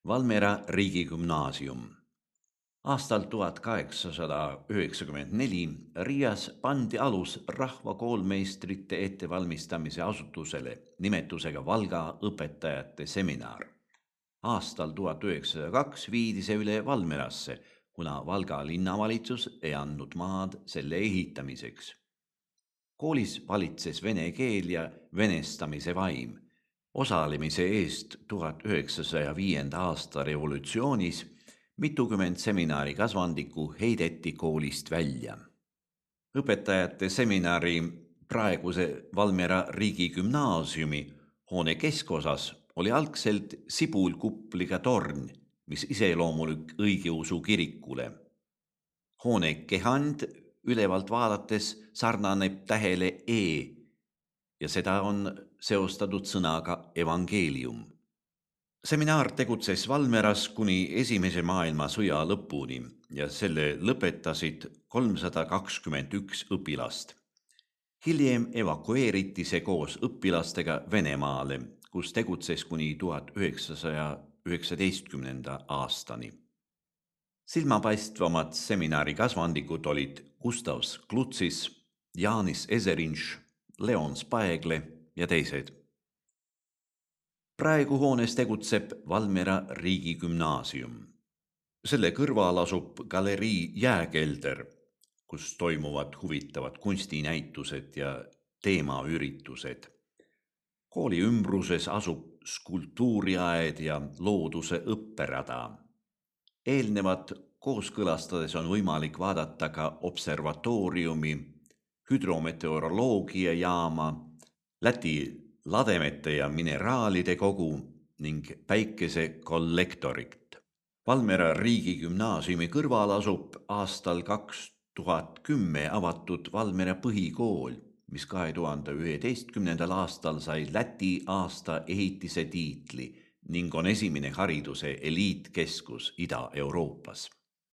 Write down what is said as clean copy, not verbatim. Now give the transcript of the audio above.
Valmiera riigigümnaasium. Aastal 1894 Riias pandi alus rahvakoolmeistrite ettevalmistamise asutusele nimetusega Valga õpetajate seminar. Aastal 1902 viidi see üle Valmierasse, kuna Valga linnavalitsus ei andnud maad selle ehitamiseks. Koolis valitses vene keel ja venestamise vaim. Osalemise eest 1905. aasta revolutsioonis mitukümmend seminari kasvandikku heideti koolist välja. Õpetajate seminari praeguse Valmiera riigigümnaasiumi hoone keskosas oli algselt sibulkupliga torn, mis iseloomulik õigeusu kirikule. Hoone kehand ülevalt vaadates sarnaneb tähele E ja seda on seostatud sõnaga evangeelium. Seminar tegutses Valmieras kuni Esimese maailmasõja lõpuni ja selle lõpetasid 321 õpilast. Hiljem evakueeriti see koos õpilastega Venemaale, kus tegutses kuni 1919. aastani. Silmapaistvamad seminari kasvandikud olid Gustav Sklutsis, Jaanis Ezerinš, Leon Spaegle ja teised. Praegu hoones tegutseb Valmiera riigigümnaasium. Selle kõrval asub galerii Jääkelder, kus toimuvad huvitavad kunstinäitused ja teemaüritused. Kooli ümbruses asub skulptuuriaed ja looduse õpperada. Eelnevat kooskõlastades on võimalik vaadata ka observatooriumi, hüdrometeoroloogiajaama, Läti lademete ja mineraalide kogu ning päikesekollektorit. Valmiera riigigümnaasiumi kõrval asub aastal 2010 avatud Valmiera põhikool, mis 2011. aastal sai Läti aasta ehitise tiitli ning on esimene hariduse eliitkeskus Ida-Euroopas.